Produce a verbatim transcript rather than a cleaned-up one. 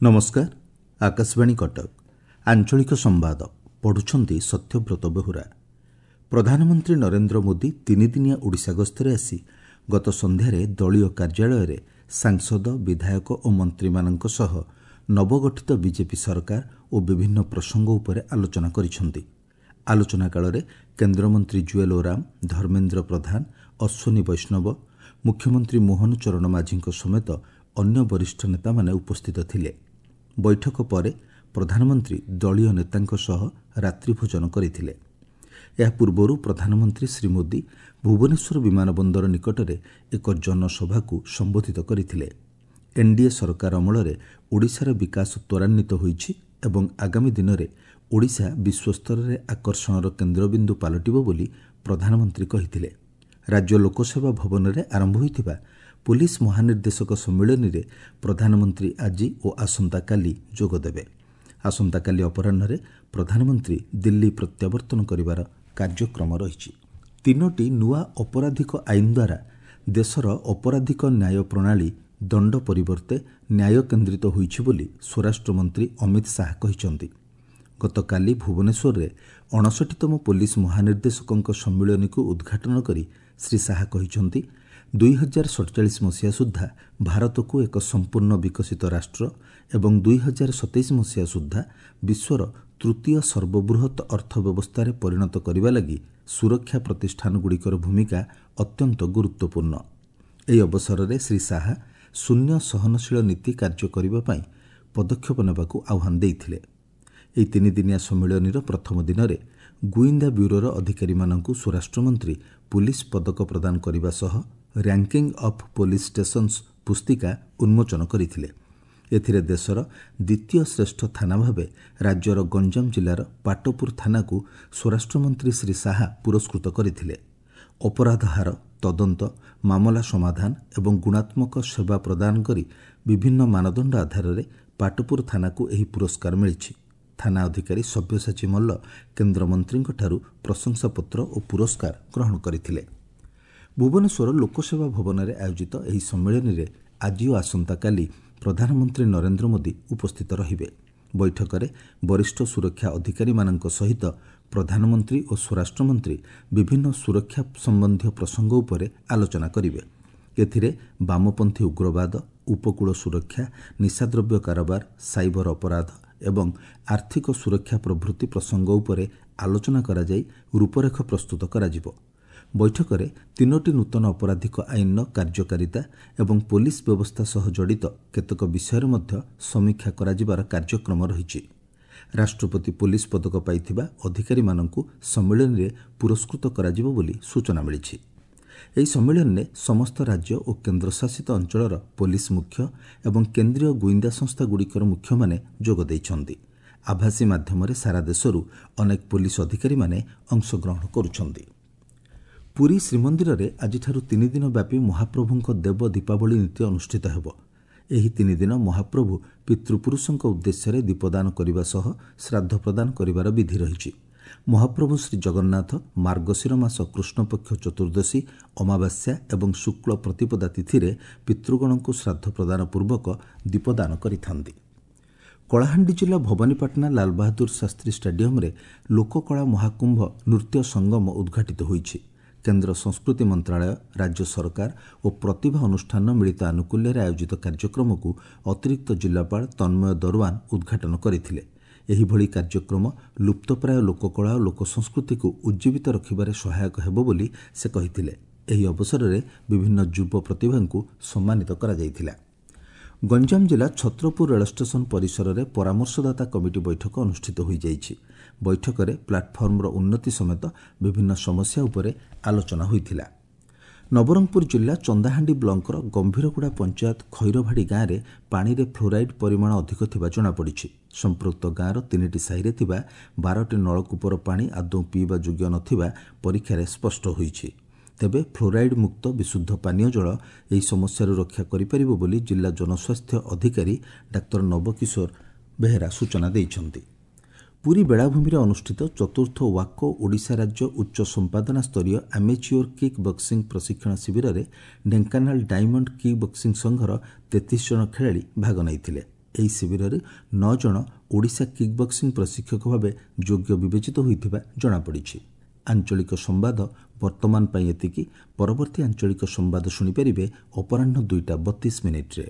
ନମସ୍କାର, ଆକାଶବାଣୀ କଟକ, ଆଞ୍ଚଳିକ ସମ୍ବାଦ ପଢ଼ୁଛନ୍ତି ସତ୍ୟବ୍ରତ ବେହୁରା। ପ୍ରଧାନମନ୍ତ୍ରୀ ନରେନ୍ଦ୍ର ମୋଦି ତିନିଦିନିଆ ଓଡ଼ିଶା ଗସ୍ତରେ ଆସି ଗତ ସନ୍ଧ୍ୟାରେ ଦଳୀୟ କାର୍ଯ୍ୟାଳୟରେ ସାଂସଦ, ବିଧାୟକ ଓ ମନ୍ତ୍ରୀମାନଙ୍କ ସହ ନବଗଠିତ ବିଜେପି ସରକାର ଓ ବିଭିନ୍ନ ପ୍ରସଙ୍ଗ ଉପରେ ଆଲୋଚନା କରିଛନ୍ତି। ଆଲୋଚନା କାଳରେ କେନ୍ଦ୍ରମନ୍ତ୍ରୀ ଜୁଏଲ୍ ଓରାମ, ଧର୍ମେନ୍ଦ୍ର ପ୍ରଧାନ, ଅଶ୍ୱିନୀ ବୈଷ୍ଣବ, ମୁଖ୍ୟମନ୍ତ୍ରୀ ମୋହନ ଚରଣ ମାଝୀଙ୍କ ସମେତ ଅନ୍ୟ ବରିଷ୍ଠ ନେତାମାନେ ଉପସ୍ଥିତ ଥିଲେ। ବୈଠକ ପରେ ପ୍ରଧାନମନ୍ତ୍ରୀ ଦଳୀୟ ନେତାଙ୍କ ସହ ରାତ୍ରିଭୋଜନ କରିଥିଲେ। ଏହା ପୂର୍ବରୁ ପ୍ରଧାନମନ୍ତ୍ରୀ ଶ୍ରୀ ମୋଦି ଭୁବନେଶ୍ୱର ବିମାନ ବନ୍ଦର ନିକଟରେ ଏକ ଜନସଭାକୁ ସମ୍ବୋଧିତ କରିଥିଲେ। ଏନ୍ଡିଏ ସରକାର ଅମଳରେ ଓଡ଼ିଶାର ବିକାଶ ତ୍ୱରାନ୍ୱିତ ହୋଇଛି ଏବଂ ଆଗାମୀ ଦିନରେ ଓଡ଼ିଶା ବିଶ୍ୱସ୍ତରରେ ଆକର୍ଷଣର କେନ୍ଦ୍ରବିନ୍ଦୁ ପାଲଟିବ ବୋଲି ପ୍ରଧାନମନ୍ତ୍ରୀ କହିଥିଲେ। ରାଜ୍ୟ ଲୋକସେବା ଭବନରେ ଆରମ୍ଭ ହୋଇଥିବା ପୋଲିସ ମହାନିର୍ଦ୍ଦେଶକ ସମ୍ମିଳନୀରେ ପ୍ରଧାନମନ୍ତ୍ରୀ ଆଜି ଓ ଆସନ୍ତାକାଲି ଯୋଗଦେବେ। ଆସନ୍ତାକାଲି ଅପରାହ୍ନରେ ପ୍ରଧାନମନ୍ତ୍ରୀ ଦିଲ୍ଲୀ ପ୍ରତ୍ୟାବର୍ତ୍ତନ କରିବାର କାର୍ଯ୍ୟକ୍ରମ ରହିଛି। ତିନୋଟି ନୂଆ ଅପରାଧିକ ଆଇନ ଦ୍ୱାରା ଦେଶର ଅପରାଧିକ ନ୍ୟାୟ ପ୍ରଣାଳୀ ଦଣ୍ଡ ପରିବର୍ତ୍ତେ ନ୍ୟାୟ କେନ୍ଦ୍ରିତ ହୋଇଛି ବୋଲି ସ୍ୱରାଷ୍ଟ୍ରମନ୍ତ୍ରୀ ଅମିତ ଶାହା କହିଛନ୍ତି। ଗତକାଲି ଭୁବନେଶ୍ୱରରେ ଅଣଷଠିତମ ପୋଲିସ ମହାନିର୍ଦ୍ଦେଶକଙ୍କ ସମ୍ମିଳନୀକୁ ଉଦ୍ଘାଟନ କରି ଶ୍ରୀ ଶାହା କହିଛନ୍ତି, ଦୁଇ ହଜାର ସତଚାଳିଶ ମସିହା ସୁଦ୍ଧା ଭାରତକୁ ଏକ ସମ୍ପୂର୍ଣ୍ଣ ବିକଶିତ ରାଷ୍ଟ୍ର ଏବଂ ଦୁଇ ହଜାର ସତେଇଶ ମସିହା ସୁଦ୍ଧା ବିଶ୍ୱର ତୃତୀୟ ସର୍ବବୃହତ୍ ଅର୍ଥ ବ୍ୟବସ୍ଥାରେ ପରିଣତ କରିବା ଲାଗି ସୁରକ୍ଷା ପ୍ରତିଷ୍ଠାନଗୁଡ଼ିକର ଭୂମିକା ଅତ୍ୟନ୍ତ ଗୁରୁତ୍ୱପୂର୍ଣ୍ଣ। ଏହି ଅବସରରେ ଶ୍ରୀ ଶାହା ଶୂନ୍ୟ ସହନଶୀଳ ନୀତି କାର୍ଯ୍ୟ କରିବା ପାଇଁ ପଦକ୍ଷେପ ନେବାକୁ ଆହ୍ୱାନ ଦେଇଥିଲେ। ଏହି ତିନିଦିନିଆ ସମ୍ମିଳନୀର ପ୍ରଥମ ଦିନରେ ଗୁଇନ୍ଦା ବ୍ୟୁରୋର ଅଧିକାରୀମାନଙ୍କୁ ସ୍ୱରାଷ୍ଟ୍ରମନ୍ତ୍ରୀ ପୁଲିସ ପଦକ ପ୍ରଦାନ କରିବା ସହ ରାଙ୍କିଂ ଅଫ୍ ପୋଲିସ ଷ୍ଟେସନ୍ସ ପୁସ୍ତିକା ଉନ୍ମୋଚନ କରିଥିଲେ। ଏଥିରେ ଦେଶର ଦ୍ୱିତୀୟ ଶ୍ରେଷ୍ଠ ଥାନା ଭାବେ ରାଜ୍ୟର ଗଞ୍ଜାମ ଜିଲ୍ଲାର ପାଟପୁର ଥାନାକୁ ସ୍ୱରାଷ୍ଟ୍ରମନ୍ତ୍ରୀ ଶ୍ରୀ ଶାହା ପୁରସ୍କୃତ କରିଥିଲେ। ଅପରାଧ ହାର, ତଦନ୍ତ, ମାମଲା ସମାଧାନ ଏବଂ ଗୁଣାତ୍ମକ ସେବା ପ୍ରଦାନ କରି ବିଭିନ୍ନ ମାନଦଣ୍ଡ ଆଧାରରେ ପାଟପୁର ଥାନାକୁ ଏହି ପୁରସ୍କାର ମିଳିଛି। ଥାନା ଅଧିକାରୀ ସବ୍ୟସାଚୀ ମଲ୍ଲ କେନ୍ଦ୍ରମନ୍ତ୍ରୀଙ୍କଠାରୁ ପ୍ରଶଂସାପତ୍ର ଓ ପୁରସ୍କାର ଗ୍ରହଣ କରିଥିଲେ। ଭୁବନେଶ୍ୱର ଲୋକସେବା ଭବନରେ ଆୟୋଜିତ ଏହି ସମ୍ମିଳନୀରେ ଆଜି ଓ ଆସନ୍ତାକାଲି ପ୍ରଧାନମନ୍ତ୍ରୀ ନରେନ୍ଦ୍ର ମୋଦି ଉପସ୍ଥିତ ରହିବେ। ବୈଠକରେ ବରିଷ୍ଠ ସୁରକ୍ଷା ଅଧିକାରୀମାନଙ୍କ ସହିତ ପ୍ରଧାନମନ୍ତ୍ରୀ ଓ ସ୍ୱରାଷ୍ଟ୍ରମନ୍ତ୍ରୀ ବିଭିନ୍ନ ସୁରକ୍ଷା ସମ୍ବନ୍ଧୀୟ ପ୍ରସଙ୍ଗ ଉପରେ ଆଲୋଚନା କରିବେ। ଏଥିରେ ବାମପନ୍ଥୀ ଉଗ୍ରବାଦ, ଉପକୂଳ ସୁରକ୍ଷା, ନିଶାଦ୍ରବ୍ୟ କାରବାର, ସାଇବର ଅପରାଧ ଏବଂ ଆର୍ଥିକ ସୁରକ୍ଷା ପ୍ରଭୃତି ପ୍ରସଙ୍ଗ ଉପରେ ଆଲୋଚନା କରାଯାଇ ରୂପରେଖ ପ୍ରସ୍ତୁତ କରାଯିବ। ବୈଠକରେ ତିନୋଟି ନୂତନ ଅପରାଧିକ ଆଇନର କାର୍ଯ୍ୟକାରିତା ଏବଂ ପୋଲିସ ବ୍ୟବସ୍ଥା ସହ ଜଡ଼ିତ କେତେକ ବିଷୟରେ ମଧ୍ୟ ସମୀକ୍ଷା କରାଯିବାର କାର୍ଯ୍ୟକ୍ରମ ରହିଛି। ରାଷ୍ଟ୍ରପତି ପୋଲିସ ପଦକ ପାଇଥିବା ଅଧିକାରୀମାନଙ୍କୁ ସମ୍ମିଳନୀରେ ପୁରସ୍କୃତ କରାଯିବ ବୋଲି ସୂଚନା ମିଳିଛି। ଏହି ସମ୍ମିଳନୀରେ ସମସ୍ତ ରାଜ୍ୟ ଓ କେନ୍ଦ୍ରଶାସିତ ଅଞ୍ଚଳର ପୋଲିସ ମୁଖ୍ୟ ଏବଂ କେନ୍ଦ୍ରୀୟ ଗୁଇନ୍ଦା ସଂସ୍ଥାଗୁଡ଼ିକର ମୁଖ୍ୟମାନେ ଯୋଗ ଦେଇଛନ୍ତି। ଆଭାସୀ ମାଧ୍ୟମରେ ସାରା ଦେଶରୁ ଅନେକ ପୋଲିସ ଅଧିକାରୀମାନେ ଅଂଶଗ୍ରହଣ କରୁଛନ୍ତି। ପୁରୀ ଶ୍ରୀମନ୍ଦିରରେ ଆଜିଠାରୁ ତିନିଦିନ ବ୍ୟାପୀ ମହାପ୍ରଭୁଙ୍କ ଦେବ ଦୀପାବଳି ନୀତି ଅନୁଷ୍ଠିତ ହେବ। ଏହି ତିନିଦିନ ମହାପ୍ରଭୁ ପିତୃପୁରୁଷଙ୍କ ଉଦ୍ଦେଶ୍ୟରେ ଦୀପଦାନ କରିବା ସହ ଶ୍ରାଦ୍ଧ ପ୍ରଦାନ କରିବାର ବିଧି ରହିଛି। ମହାପ୍ରଭୁ ଶ୍ରୀଜଗନ୍ନାଥ ମାର୍ଗଶିର ମାସ କୃଷ୍ଣପକ୍ଷ ଚତୁର୍ଦ୍ଦଶୀ, ଅମାବାସ୍ୟା ଏବଂ ଶୁକ୍ଳ ପ୍ରତିପଦା ତିଥିରେ ପିତୃଗଣଙ୍କୁ ଶ୍ରାଦ୍ଧ ପ୍ରଦାନ ପୂର୍ବକ ଦୀପଦାନ କରିଥାନ୍ତି। କଳାହାଣ୍ଡି ଜିଲ୍ଲା ଭବାନୀପାଟଣା ଲାଲବାହାଦୁର ଶାସ୍ତ୍ରୀ ଷ୍ଟାଡିୟମରେ ଲୋକକଳା ମହାକୁମ୍ଭ ନୃତ୍ୟ ସଙ୍ଗମ ଉଦ୍ଘାଟିତ ହୋଇଛି। କେନ୍ଦ୍ର ସଂସ୍କୃତି ମନ୍ତ୍ରାଳୟ, ରାଜ୍ୟ ସରକାର ଓ ପ୍ରତିଭା ଅନୁଷ୍ଠାନର ମିଳିତ ଆନୁକୂଲ୍ୟରେ ଆୟୋଜିତ କାର୍ଯ୍ୟକ୍ରମକୁ ଅତିରିକ୍ତ ଜିଲ୍ଲାପାଳ ତନ୍ମୟ ଦରୱାନ ଉଦ୍ଘାଟନ କରିଥିଲେ। ଏହିଭଳି କାର୍ଯ୍ୟକ୍ରମ ଲୁପ୍ତପ୍ରାୟ ଲୋକକଳା ଓ ଲୋକସଂସ୍କୃତିକୁ ଉଜ୍ଜୀବିତ ରଖିବାରେ ସହାୟକ ହେବ ବୋଲି ସେ କହିଥିଲେ। ଏହି ଅବସରରେ ବିଭିନ୍ନ ଯୁବ ପ୍ରତିଭାଙ୍କୁ ସମ୍ମାନିତ କରାଯାଇଥିଲା। ଗଞ୍ଜାମ ଜିଲ୍ଲା ଛତ୍ରପୁର ରେଳ ଷ୍ଟେସନ ପରିସରରେ ପରାମର୍ଶଦାତା କମିଟି ବୈଠକ ଅନୁଷ୍ଠିତ ହୋଇଯାଇଛି। ବୈଠକରେ ପ୍ଲାଟଫର୍ମର ଉନ୍ନତି ସମେତ ବିଭିନ୍ନ ସମସ୍ୟା ଉପରେ ଆଲୋଚନା ହୋଇଥିଲା। ନବରଙ୍ଗପୁର ଜିଲ୍ଲା ଚନ୍ଦାହାଣ୍ଡି ବ୍ଲକର ଗମ୍ଭୀରଗୁଡ଼ା ପଞ୍ଚାୟତ ଖଇରଭାଡ଼ି ଗାଁରେ ପାଣିରେ ଫ୍ଲୋରାଇଡ୍ ପରିମାଣ ଅଧିକ ଥିବା ଜଣାପଡ଼ିଛି। ସମ୍ପୃକ୍ତ ଗାଁର ତିନିଟି ସାହିରେ ଥିବା ବାରଟି ନଳକୂପର ପାଣି ଆଦୌ ପିଇବା ଯୋଗ୍ୟ ନଥିବା ପରୀକ୍ଷାରେ ସ୍ପଷ୍ଟ ହୋଇଛି। ତେବେ ଫ୍ଲୋରାଇଡ୍ ମୁକ୍ତ ବିଶୁଦ୍ଧ ପାନୀୟ ଜଳ ଏହି ସମସ୍ୟାରୁ ରକ୍ଷା କରିପାରିବ ବୋଲି ଜିଲ୍ଲା ଜନସ୍ୱାସ୍ଥ୍ୟ ଅଧିକାରୀ ଡାକ୍ତର ନବକିଶୋର ବେହେରା ସୂଚନା ଦେଇଛନ୍ତି। ପୁରୀ ବେଳାଭୂମିରେ ଅନୁଷ୍ଠିତ ଚତୁର୍ଥ ୱାକୋ ଓଡ଼ିଶା ରାଜ୍ୟ ଉଚ୍ଚ ସମ୍ପାଦନା ସ୍ତରୀୟ ଆମେଚିଓର କିକ୍ ବକ୍ସିଂ ପ୍ରଶିକ୍ଷଣ ଶିବିରରେ ଢେଙ୍କାନାଳ ଡାଇମଣ୍ଡ କିକ୍ ବକ୍ସିଂ ସଂଘର ତେତିଶ ଜଣ ଖେଳାଳି ଭାଗ ନେଇଥିଲେ। ଏହି ଶିବିରରେ ନଅ ଜଣ ଓଡ଼ିଶା କିକ୍ ବକ୍ସିଂ ପ୍ରଶିକ୍ଷକ ଭାବେ ଯୋଗ୍ୟ ବିବେଚିତ ହୋଇଥିବା ଜଣାପଡ଼ିଛି। ଆଞ୍ଚଳିକ ସମ୍ବାଦ ବର୍ତ୍ତମାନ ପାଇଁ ଏତିକି। ପରବର୍ତ୍ତୀ ଆଞ୍ଚଳିକ ସମ୍ବାଦ ଶୁଣିପାରିବେ ଅପରାହ୍ନ ଦୁଇଟା ବତିଶ ମିନିଟ୍ରେ।